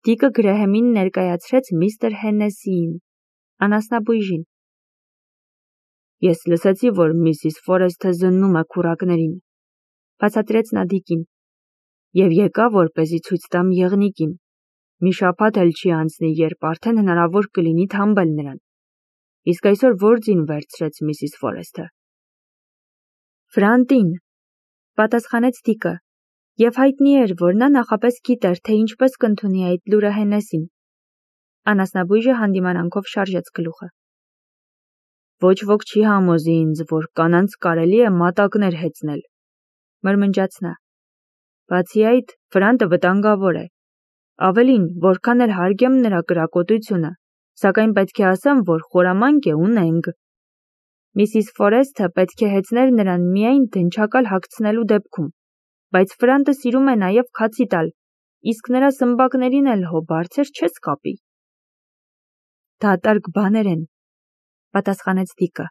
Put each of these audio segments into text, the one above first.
Դիկը Գրեհեմին ներկայացրեց միստր Հեննեսիին, անասնաբույժին։ Ես լսեցի, որ Միսիս Ֆորեսթը զննում է քուրակներին, բացատրեց նա Դիկին, և եկա, որպեսզի ցույց տամ եղնիկին։ Մի շաբաթ էլ չի անցնի, երբ արդեն հնարավոր կլինի թամբել նրան։ Իսկ այսօր որ ձին վերցրեց Միսիս Ֆորեսթը։ Ֆրանտին, պատասխանեց Դիկը, և հայտնի էր, որ նա նախապես գիտեր, թե ինչպես կընդունի այդ լուրը Հեննեսին։ Անասնաբույժը հանդիմանանքով շարժեց գլուխը։ Ոչ ոք չի համոզի ինձ, որ կանանց կարելի է մատակներ հեծնել, մրմնջաց նա։ Բացի այդ, Ֆրանտը վտանգավոր է։ Ավելին, որքան էլ հարգեմ նրա կրակոտությունը, սակայն պետք է ասեմ, որ խորամանկ է ու նենգ։ Միսիս Ֆորեսթը պետք է հեծներ նրան միայն դնչակալ հագցնելու դեպքում, բայց Ֆրանտը սիրում է նաև քացի տալ, իսկ նրա սմբակներին էլ հո բարձր չես կապի։ Դատարկ բաներ են, պատասխանեց Դիկը։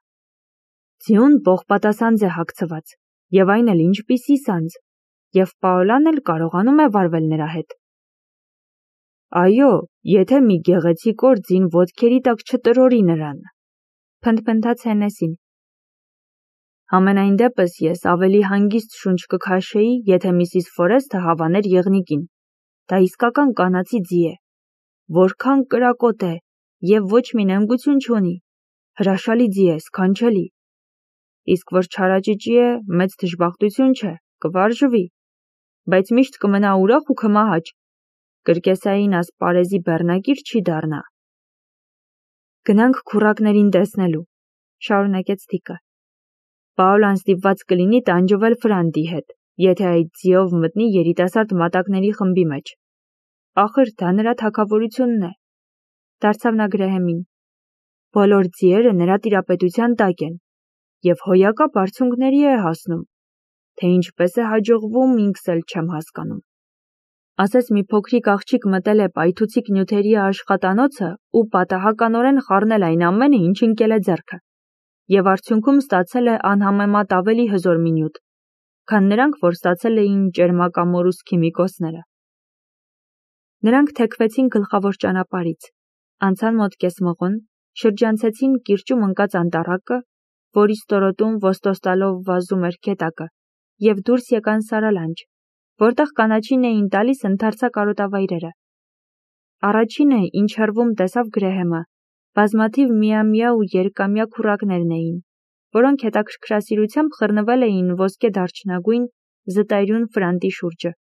Ձյուն պողպատասանձ է հագցված, և այն էլ ինչպիսի սանձ, և Պաոլան էլ կարողանում է վարվել նրա հետ։ Այո, եթե մի գեղեցիկ օր ձին ոտքերի տակ չտրորի նրան, փնթփնթաց Հեննեսին։ Համենայն դեպս ես ավելի հանգիստ շունչ կքաշեի, եթե Միսիս Ֆորեսթը հավաներ եղնիկին։ Դա իսկական կանացի ձի է, որքան կրակոտ է, և ոչ մի նենգություն չունի, հրաշալի ձի է, սքանչելի։ Իսկ որ չարաճճի է, մեծ դժբախտություն չէ, կվարժվի, բայց միշտ կմնա ուրախ ու քմահաճ, կրկեսային ասպարեզի բեռնակիր չի դառնա։ Գնանք քուրակներին տեսնելու, շարունակեց Դիկը։ Պաոլան ստիպված կլինի տանջվել Ֆրանտի հետ, եթե այդ ձիով մտնի երիտասարդ մատակների խմբի մեջ։ Ախր դա նրա թագավորությունն է, դարձավ նա Գրեհեմին։ Բոլոր ձիերը նրա տիրապետության տակ են, և հոյակապ արդյունքների է հասնում, թե ինչպես է հաջողվում, ինքս էլ չեմ հասկանում։ Ասես մի փոքրիկ աղջիկ մտել է պայթուցիկ նյութերի աշխատանոցը ու պատահականորեն խառնել այն ամենը, ինչ ընկել է ձեռքը, և արդյունքում ստացել է անհամեմատ ավելի հզոր մի նյութ, քան նրանք, որ ստացել էին ճերմակամորուս քիմիկոսները։ Նրանք թեքվեցին գլխավոր ճանապարհից, անցան մոտ կեսմղոն, շրջանցեցին կիրճում ընկած անտառակը, որի ստորոտում ոստոս տալով վազում էր գետակը, և դուրս եկան Սարալանջ, որտեղ կանաչին էին տալիս ընդարձակ արոտավայրերը։ Առաջինը, ինչ հեռվում տեսավ Գրեհեմը, բազմաթիվ միամյա ու երկամյա քուրակներն էին, որոնք հետաքրքրասիրությամբ խռնվել էին ոսկե դարչնագույն զտայրուն Ֆրանտի շուրջը,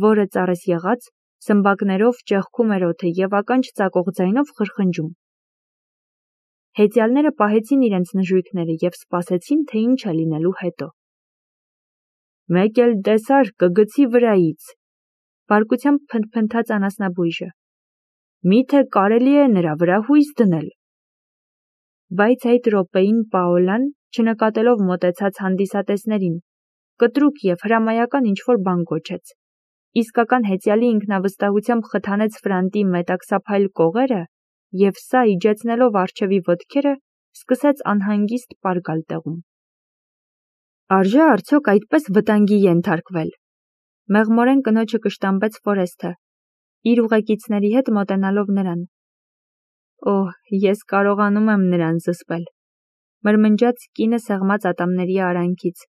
որը ծառես եղած, սմբակներով ճեղքում էր օդը և ականջ ծակող ձայնով խրխնջում։ Հեծյալները պահեցին իրենց նժույգները և սպասեցին, թե ինչ է լինելու հետո։ Մեկ էլ տեսար կգցի վրայից, բարկությամբ փնթփնթաց անասնաբույժը։ Միթե կարելի է նրա վրա հույս դնել։ Բայց այդ րոպեին Պաոլան, չնկատելով մոտեցած հանդիսատեսներին, կտրուկ և հրամայական ինչ-որ բան գոչեց։ Իսկական հեծյալի ինքնավստահությամբ խթանեց Ֆրանտի մետաքսափայլ կողերը և սա իջեցնելով առջևի ոտքերը, սկսեց անհանգիստ պառկալ տեղում։ Արժե արդյոք այդպես վտանգի ենթարկվել, մեղմորեն կնոջը կշտամբեց Ֆորեսթը, իր ուղեկիցների հետ մոտենալով նրան։ Օհ, ես կարողանում եմ նրան զսպել, մրմնջաց կինը սեղմած ատամների արանքից։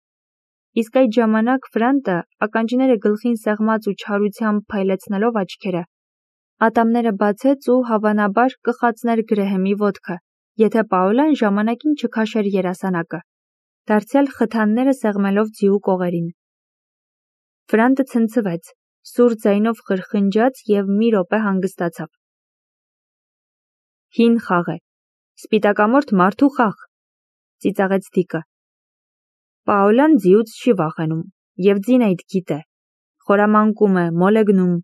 Իսկ այդ ժամանակ Ֆրանտը, ականջները գլխին սեղմած ու չարությամբ փայլեցնելով աչքերը, ատամները բացեց ու հավանաբար կխացներ Գրեհեմի ոտքը, եթե Պաոլան ժամանակին չքաշեր երասանակը, դարձյալ խթանները սեղմելով ձիու կողերին։ Ֆրանտը ցնցվեց, սուր ձայնով խրխնջաց և մի րոպե հանգստացավ։ Հին խաղ է, սպիտակամորթ մարդու խաղ, ծիծաղեց Դիկը։ Պաոլան ձիուց չի վախենում, և ձին այդ գիտե, խորամանկում է, մոլեգնում,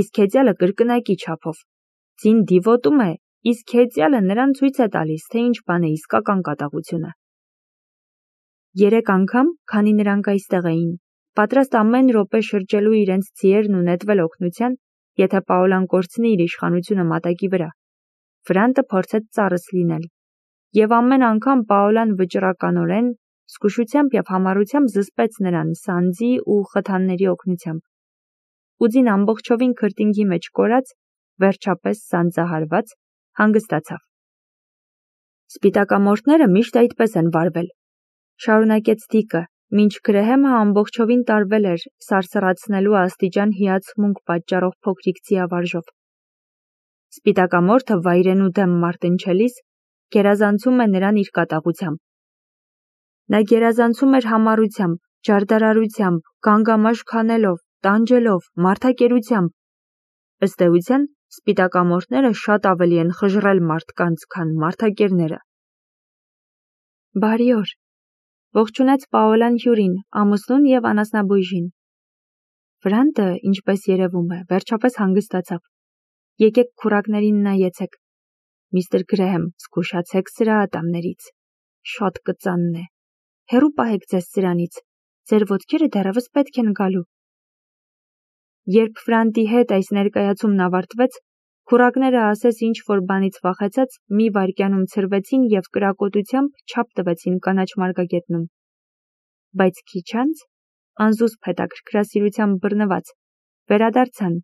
իսկ հեծյալը կրկնակի չափով։ Ձին դիվոտում է, իսկ հեծյալը նրան ցույց է տալիս, թե ինչ բան է իսկական կատաղությունը։ 3 անգամ, քանի նրանք այստեղ էին, պատրաստ ամեն րոպե շրջելու իրենց ձիերն ու նետվել օգնության, եթե Պաոլան կորցնի իր իշխանությունը մատակի վրա, Ֆրանտը փորձեց ծառս լինել, և ամեն անգամ Պաոլան վճռականորեն, զգուշությամբ և համառությամբ զսպեց նրան սանձի ու խթանների օգնությամբ։ Ու ձին ամբողջովին քրտինքի մեջ կորած, վերջապես սանձահարված, հանգստացավ։ Սպիտակամորթները միշտ այդպես են վարվել, շարունակեց Դիկը, մինչ Գրեհեմը ամբողջովին տարվել էր սարսռացնելու աստիճան հիացմունք պատճառող փոքրիկ ձիավարժով։ Սպիտակամորթը վայրենու դեմ մարտնչելիս գերազանցում է նրան իր կատաղությամբ։ Նա գերազանցում էր համառությամբ, ջարդարարությամբ, գանգամաշ քանելով, տանջելով, մարդակերությամբ։ Ըստ էության, սպիտակամորթները շատ ավելի են խժռել մարդկանց, քան մարդակերները։ Բարի օր, ողջունեց Պաոլան հյուրին, ամուսնուն և անասնաբույժին։ Վրանտը, ինչպես երևում է, վերջապես հանգստացավ։ Եկեք քուրակներին նայեցեք։ Միստր Գրեհեմ, զգուշացեք սրա ատամներից։ Շատ կծանն է։ Հեռու պահեք ձեզ սրանից։ Ձեր ոտքերը դեռևս պետք են գալու։ Երբ Վրանտի հետ այս ներկայացումն ավարտվեց, քուրակները ասես ինչ-որ բանից վախեցած մի վայրկյանում ցրվեցին և կրակոտությամբ չափ տվեցին կանաչ մարգագետնում։ Բայց քիչ անց, անզուսպ հետաքրքրասիրությամբ բռնված, վերադարձան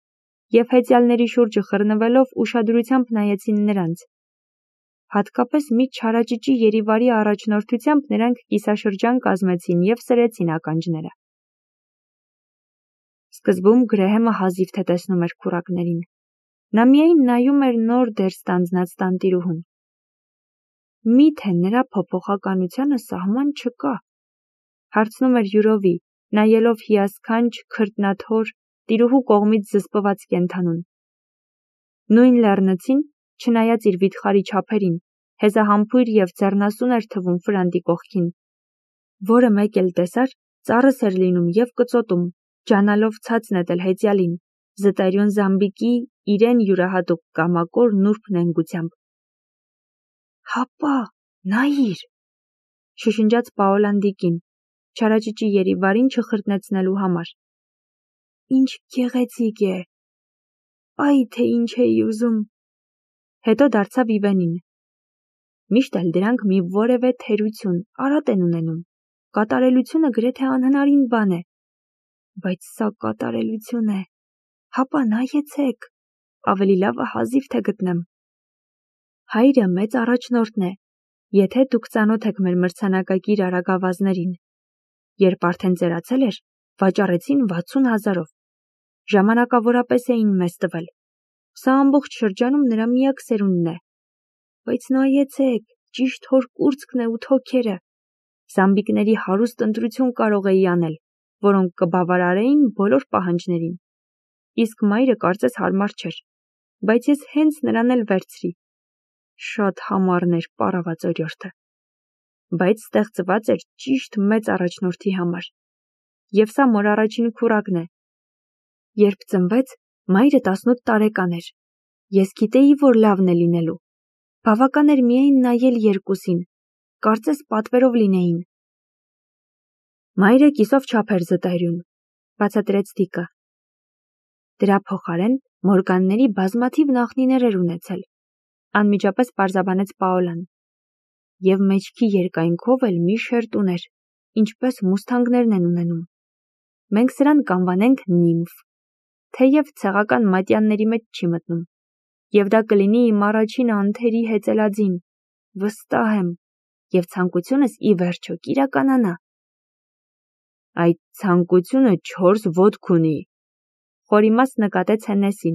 և հեծյալների շուրջը խռնվելով ուշադրությամբ նայեցին նրանց։ Հատկապես մի չարաճճի երիվարի առաջնորդությամբ նրանք կիսաշրջան կազմեցին և սրեցին ականջները։ Սկզբում Գրեհեմը հազիվ թե տեսնում էր քուրակներին։ Նա միայն նայում էր նոր դեր ստանձնած տանտիրուհուն։ Մի՞թե նրա փոփոխականությանը սահման չկա, հարցնում էր յուրովի, նայելով հիասքանչ, քրտնաթոր, տիրուհու կողմից զսպված կենդանուն։ Նույն լեռնցին, չնայած իր վիթխարի չափերին, հեզահամբույր և ձեռնասուն էր թվում Վրանտի կողքին, որը մեկ էլ տեսար, ծառս էր լինում և կծոտում, ջանալով ցած նետել հեծյալին, զտերյուն Զամբիկի իրեն յուրահատուկ կամակոր նուրբ նենգությամբ։ Հապա, նայիր, շշնջաց Պաոլան Դիկին, չարաճճի երիվարին չխրտնեցնելու համար։ Ինչ գեղեցիկ է։ Այ թե ինչ էի ուզում։ Հետո դարձավ Իվենին։ Միշտ էլ դրանք մի որևէ թերություն, արատ են ունենում։ Կատարելությունը գրեթե անհնարին բան է։ Բայց սա կատարելություն է։ Հապա նայեցեք, ավելի լավը հազիվ թե գտնեմ։ Հայրը մեծ առաջնորդն է, եթե դուք ծանոթ եք մեր մրցանակակիր արագավազներին։ Երբ արդեն ծերացել էր, վաճառեցին 60,000-ով։ Ժամանակավորապես էին մեզ տվել։ Սա ամբողջ շրջանում նրա միակ սերունդն է։ Բայց նայեցեք, ճիշտ հոր կուրծքն է ու թոքերը։ Զամբիկների հարուստ ընտրություն կարող էի անել, որոնք կբավարարեին բոլոր պահանջներին։ Իսկ մայրը կարծես հարմար չէր, բայց ես հենց նրան էլ վերցրի։ Շատ համառն էր պառաված օրիորդը։ Բայց ստեղծված էր ճիշտ մեծ առաջնորդի համար։ Եվ սա մոր առաջին քուրակն է։ Երբ ծնվեց, մայրը 18 տարեկան էր։ Ես գիտեի, որ լավն է լինելու։ Բավական էր միայն նայել երկուսին, կարծես պատվերով լինեին։ Մայրը կիսով չափ էր զտայրյուն, բացատրեց Դիկը։ Դրա փոխարեն Մորգանների բազմաթիվ նախնիներ էր ունեցել, անմիջապես պարզաբանեց Պաոլան։ Եվ մեջքի երկայնքով էլ մի շերտ ուներ, ինչպես մուսթանգներն են ունենում։ Մենք սրան կանվանենք նիմֆ, թեև ցեղական մատյանների մեջ չի մտնում։ Եվ դա կլինի իմ առաջին անթերի հեծելաձին, վստահ եմ, և ցանկությունս ի վերջո կիրականանա։ Այդ ցանկությունը 4 ոտք ունի, խորիմաց նկատեց Հեննեսին։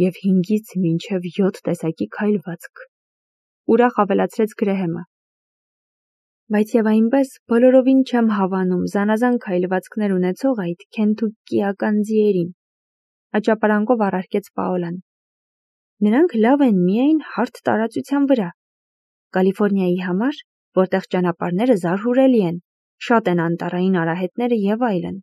Եվ 5-ից մինչև 7 տեսակի քայլվածք, ուրախ ավելացրեց Գրեհեմը։ Բայց և այնպես բոլորովին չեմ հավանում զանազան քայլվածքներ ունեցող այդ քենթուկկիական ձիերին, աճապարանքով առարկեց Պաոլան։ Նրանք լավ են միայն հարթ տարածության վրա։ Կալիֆորնիայի համար, որտեղ ճանապարհները զարհուրելի են, շատ են անտառային արահետները և այլն։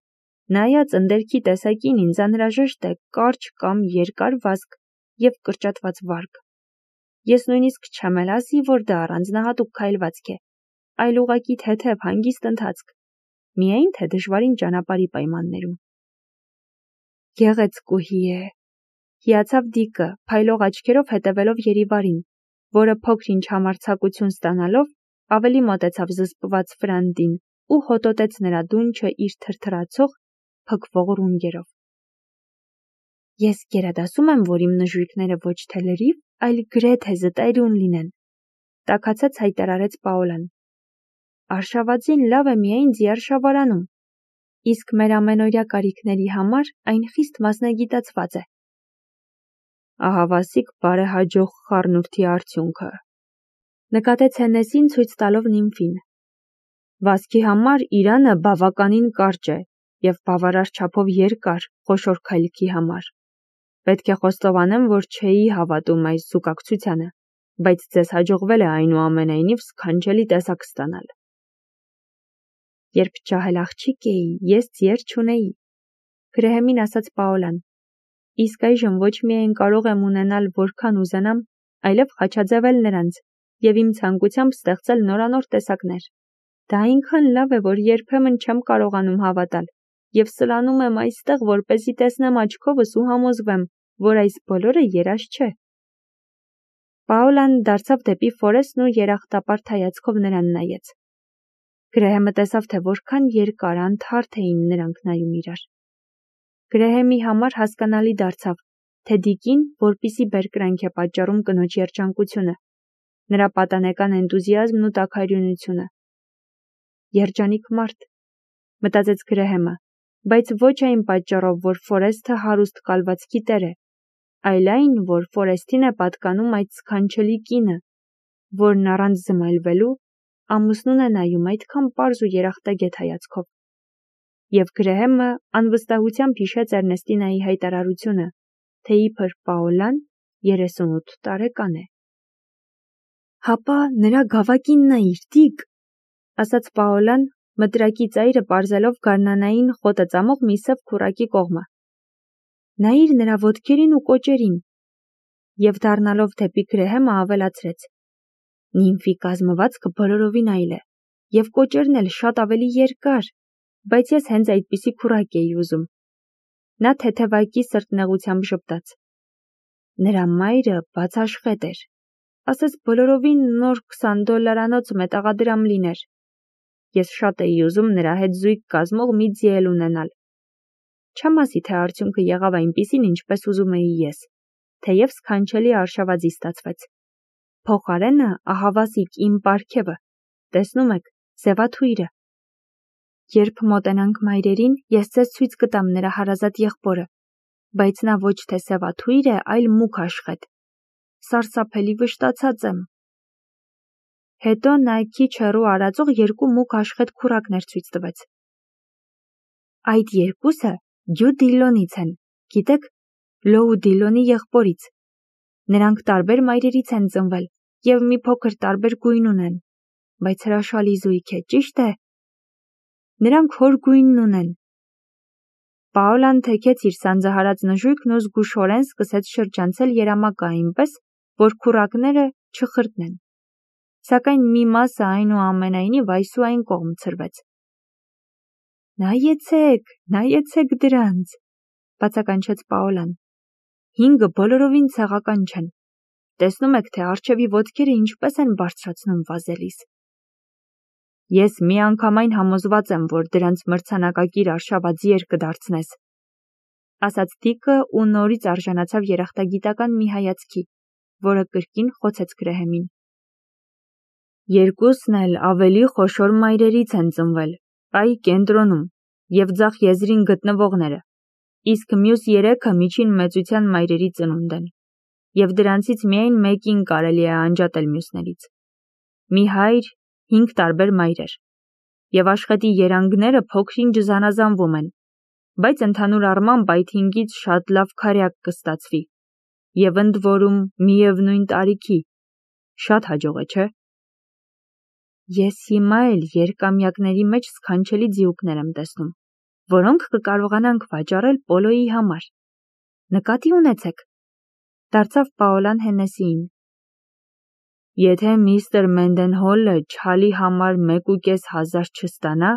Նայած ընդերքի տեսակին ինձ անհրաժեշտ է կարճ կամ երկար վազք և կրճատված վարկ։ Ես նույնիսկ չեմ էլ ասի, որ դա առանձնահատուկ քայլվածք է, այլ ուղղակի թեթև հանգիստ ընթացք, միայն թե դժվարին ճանապարհի պայմաններում։ Գեղեցկուհի է, հիացավ Դիկը, փայլող աչքերով հետևելով երիվարին, որը փոքր-ինչ համարձակություն ստանալով ավելի մոտեցավ զսպված Վրանտին ու հոտոտեց նրա դունչը իր թրթրացող, փքվող ռունգերով։ Ես գերադասում եմ, որ իմ նժույգները ոչ թե լրիվ, այլ գրեթե զտայրուն լինեն, տաքացած հայտարարեց Պաոլան։ Արշավածին լավ է միայն ձիարշավարանում, իսկ մեր ամենօրյա կարիքների համար այն խիստ մասնագիտացված է։ Ահավասիկ բարեհաջող խառնուրդի արդյունքը, նկատեց Հեննեսին ցույց տալով նիմֆին։ Վազքի համար իրանը բավականին կարճ է և բավարար չափով երկար խոշոր քայլքի համար։ Պետք է խոստովանեմ, որ չէի հավատում այս զուգակցությանը, բայց ձեզ հաջողվել է այնուամենայնիվ սքանչելի տեսակ ստանալ։ Երբ ջահել աղջիկ էի, ես ձիեր չունեի, գրեհեմին ասաց Պաոլան, իսկ այժմ ոչ միայն կարող եմ ունենալ որքան ուզենամ, այլև խաչաձևել նրանց և իմ ցանկությամբ ստեղծել նորանոր տեսակներ։ Դա այնքան լավ է, որ երբեմն չեմ կարողանում հավատալ և սլանում եմ այստեղ, որպեսզի տեսնեմ աչքովս ու համոզվեմ, որ այս բոլորը երազ չէ։ Պաոլան դարձավ դեպի Ֆորեսն ու երախտապարտ հայացքով նրան նայեց։ Գրեհեմը տեսավ, թե որքան երկար անթարթ էին նրանք նայում իրար։ Գրեհեմի համար հասկանալի դարձավ, թե Դիկին որպիսի բերկրանք է պատճառում կնոջ երջանկությունը, նրա պատանեկան էնտուզիազմն ու տաքարյունությունը։ Երջանիկ մարդ, մտածեց Գրեհեմը, բայց ոչ այն պատճառով, որ Ֆորեսթը հարուստ կալվածքի տեր է, այլ այն, որ Ֆորեսթին է պատկանում այդ սքանչելի կինը, որն առանց զմայլվելու ամուսնուն է նայում այդքան պարզ ու երախտագետ հայացքով։ Եվ Գրեհեմը անվստահությամբ հիշեց Էրնեստինայի հայտարարությունը, թե իբր Պաոլան 38 տարեկան է։ Հապա նրա գավակին նայիր, Դիկ, ասաց Պաոլան, մտրակի ծայրը պարզելով գարնանային խոտը ծամող մի սև քուռակի կողմը։ Նայիր նրա ոտքերին ու կոճերին։ Եվ դառնալով դեպի Գրեհեմը ավելացրեց. Նիմֆի կազմվածքը բոլորովին այլ է, և կոճերն էլ շատ ավելի երկար, բայց ես հենց այդպիսի քուռակ էի ուզում։ Նա թեթևակի սրտնեղությամբ ժպտաց։ Նրա մայրը բացաշխետ էր, ասես բոլորովին նոր $20 մետաղադրամ լիներ։ Ես շատ էի ուզում նրա հետ զույգ կազմող մի ձի էլ ունենալ։ Չեմ ասի, թե արդյունքը եղավ այնպիսին, ինչպես ուզում էի ես, թեև սքանչելի արշավածի ստացվեց։ Փոխարենը ահավասիկ իմ պարգևը, տեսնում եք, Սևաթույրը։ Երբ մոտենանք մայրերին, ես ձեզ ցույց կտամ նրա հարազատ եղբորը, բայց նա ոչ թե Սևաթույր է, այլ մուգ աշխատք։ Սարսափելի վշտացած եմ։ Հետո նա քիչ հեռու արածող երկու մուգ աշխատք քուռակներ ցույց տվեց։ Այդ երկուսը Դյու Դիլոնից են, գիտեք, Լոու Դիլոնի եղբորից։ Նրանք տարբեր մայրերից են ծնվել և մի փոքր տարբեր գույն ունեն, բայց հրաշալի զույգ է, ճիշտ է։ Նրանք հոր գույնն ունեն։ Պաոլան թեքեց իր սանձահարած նժույգն ու զգուշորեն սկսեց շրջանցել երամակը այնպես, որ քուռակները չխրտնեն։ Սակայն մի մասը այնուամենայնիվ այս ու այն կողմ ցրվեց։ Նայեցեք դրանց, բացականչեց Պաոլան։ 5-ը բոլորովին ցեղական չեն։ Տեսնում եք, թե առջևի ոտքերը ինչպես են բարձրացնում վազելիս։ Ես միանգամայն համոզված եմ, որ դրանց մրցանակակիր արշավաձիեր կդարձնես, ասաց Դիկը ու նորից արժանացավ երախտագիտական մի հայացքի, որը կրկին խոցեց Գրեհեմին։ Երկուսն էլ ավելի խոշոր մայրերից են ծնվել, այ կենտրոնում, և ձախ եզրին գտնվողները, իսկ մյուս 3-ը միջին մեծության մայրերի ծնունդ են, և դրանցից միայն մեկին կարելի է անջատել մյուսներից։ Մի հայր, 5 տարբեր մայրեր, և աշխատի երանգները փոքր-ինչ զանազանվում են, բայց ընդհանուր առմամբ այդ 5-ից շատ լավ քարյակ կստացվի, և ընդ որում միևնույն տարիքի, շատ հաջող է, չէ՞։ Ես հիմա էլ երկամյակների մեջ սքանչելի ձիուկներ եմ տեսնում, որոնք կկարողանանք վաճառել պոլոյի համար։ Նկատի ունեցեք, դարձավ Պաոլան Հեննեսիին։ Եթե միստր Մենդենհոլը չալի համար 1,500 չստանա,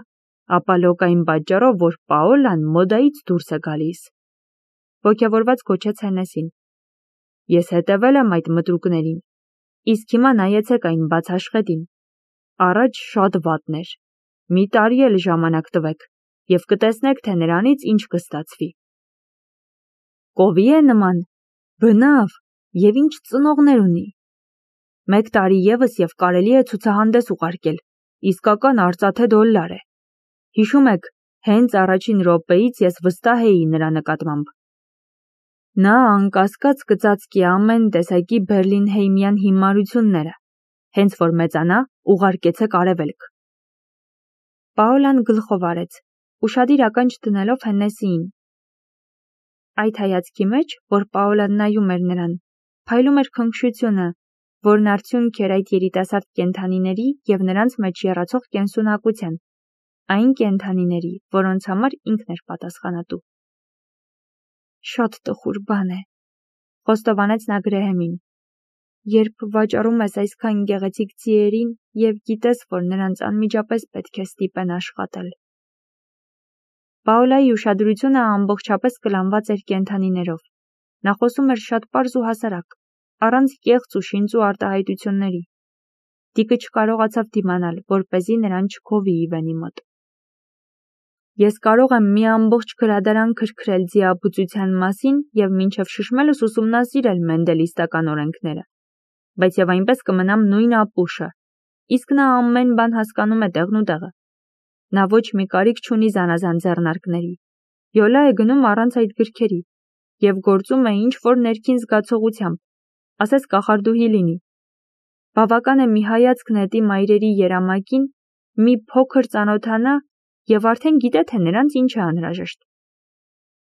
ապա լոկային պատճառով, որ Պաոլան մոդայից դուրս է գալիս, ոգևորված գոչեց Հեննեսին։ Ես հետևել եմ այդ մտրուկներին, իսկ հիմա նայեցեք այն բացաշխետին։ Առաջ շատ վատն էր։ Մի տարի էլ ժամանակ տվեք, և կտեսնեք, թե նրանից ինչ կստացվի։ կովի է նման, բնավ և ինչ ծնողներ ունի։ 1 տարի ևս և կարելի է ցուցահանդես ուղարկել, իսկական արծաթե դոլար է։ Հիշում եք, հենց առաջին րոպեից ես վստահ էի նրա նկատմամբ։ Նա անկասկած կծածկի ամեն տեսակի բերլինհեյմյան հիմարությունները, հենց որ մեծանա, ուղարկեցեք արևելք։ Պաոլան գլխով արեց, ուշադիր ականջ դնելով Հեննեսիին։ Այդ հայացքի մեջ, որ Պաոլան նայում էր նրան, փայլում էր քնքշությունը, որն արդյունք էր այդ երիտասարդ կենդանիների և նրանց մեջ եռացող կենսունակության, այն կենդանիների, որոնց համար ինքն էր պատասխանատու։ Շատ տխուր բան է, խոստովանեց նա Գրեհեմին, երբ վաճառում ես այսքան գեղեցիկ ձիերին և գիտես, որ նրանց անմիջապես պետք է ստիպեն աշխատել։ Պաոլայի ուշադրությունը ամբողջապես կլանված էր կենդանիներով։ Նա խոսում էր շատ պարզ ու հասարակ, առանց կեղծ ու շինծու արտահայտությունների։ Դիկը չկարողացավ դիմանալ, որպեսզի նրան չգովի Իվենի մոտ։ Ես կարող եմ մի ամբողջ գրադարան քրքրել ձիաբուծության մասին և մինչև շշմելս ուսումնասիրել մենդելիստական օրենքները, բայց և այնպես կմնամ նույն ապուշը, իսկ նա ամեն բան հասկանում է տեղնուտեղը։ Նա ոչ մի կարիք չունի զանազան ձեռնարկների, յոլա է գնում առանց այդ գրքերի և գործում է ինչ-որ ներքին զգացողությամբ, ասես կախարդուհի լինի։ Բավական է մի հայացք նետի մայրերի երամակին, մի փոքր ծանոթանա և արդեն գիտե, թե նրանց ինչ է անհրաժեշտ։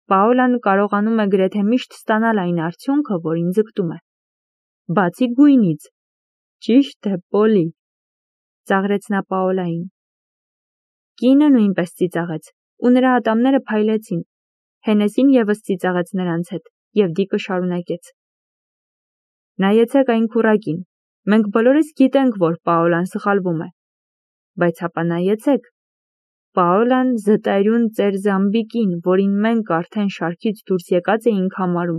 Պաոլան կարողանում է գրեթե միշտ ստանալ այն արդյունքը, որին ձգտում է։ Բացի գույնից։ Ճիշտ է, Պոլի, ծաղրեց նա Պաոլային։ Կինը նույնպես ծիծաղեց, ու նրա ատամները փայլեցին։ Հենեսին ևս ծիծաղեց նրանց հետ, և Դիկը շարունակեց. Նայեցեք այն քուռակին, մենք բոլորս գիտենք, որ Պաոլան սխալվում է, բայց հապա նայեցեք, Պաոլան զտայրուն ծեր Զամբիկին, որին մենք արդեն շարքից դուրս եկած էինք համարում,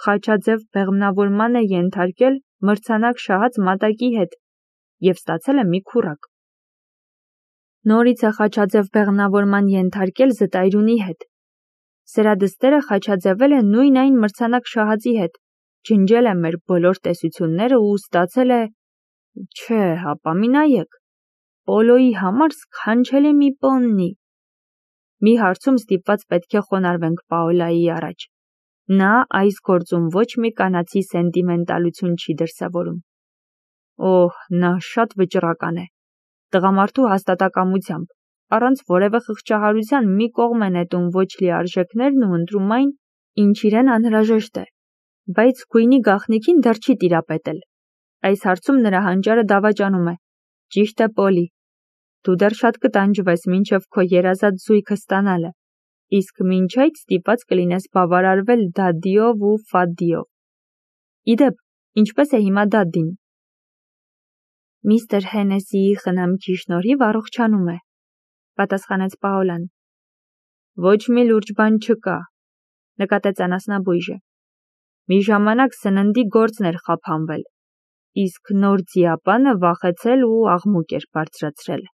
խաչաձև բեղմնավորման է ենթարկել մրցանակ շահած մատակի հետ և ստացել է մի քուռակ։ Նորից է խաչաձև բեղմնավորման ենթարկել զտայրունի հետ։ Սերադստերը խաչաձևել է նույն այն մրցանակ շահածի հետ, ջնջել է մեր բոլոր տեսությունները ու ստացել է… Չէ, հապա մի նայեք, Պոլոյի համար սքանչելի մի պոննի։ Մի հարցում ստիպված պետք է խոնարհվենք Պաոլայի առաջ։ Նա այս գործում ոչ մի կանացի սենտիմենտալություն չի դրսևորում։ Օհ, նա շատ վճռական է։ Տղամարդու հաստատակամությամբ, առանց որևէ խղճահարության մի կողմ է նետում ոչ լիարժեքներն ու ընտրում այն, ինչ իրեն անհրաժեշտ է, բայց գույնի գաղտնիքին դեռ չի տիրապետել։ Այս հարցում նրա հանճարը դավաճանում է։ Ճիշտ է, Պոլի։ Դու դեռ շատ կտանջվես մինչև քո երազած զույգը ստանալը, իսկ մինչ այդ ստիպված կլինես բավարարվել Դադիով ու Ֆադիով։ Իդեպ, ինչպես է հիմա Դադին։ Միստր Հենեսիի խնամքի շնորհիվ առողջանում է, պատասխանեց Պաոլան։ Ոչ մի լուրջ բան չկա, նկատեց անասնաբույժը։ Մի ժամանակ սննդի գործն էր խափանվել, իսկ նոր ձիապանը վախեցել ու աղմուկ էր բարձրացրել։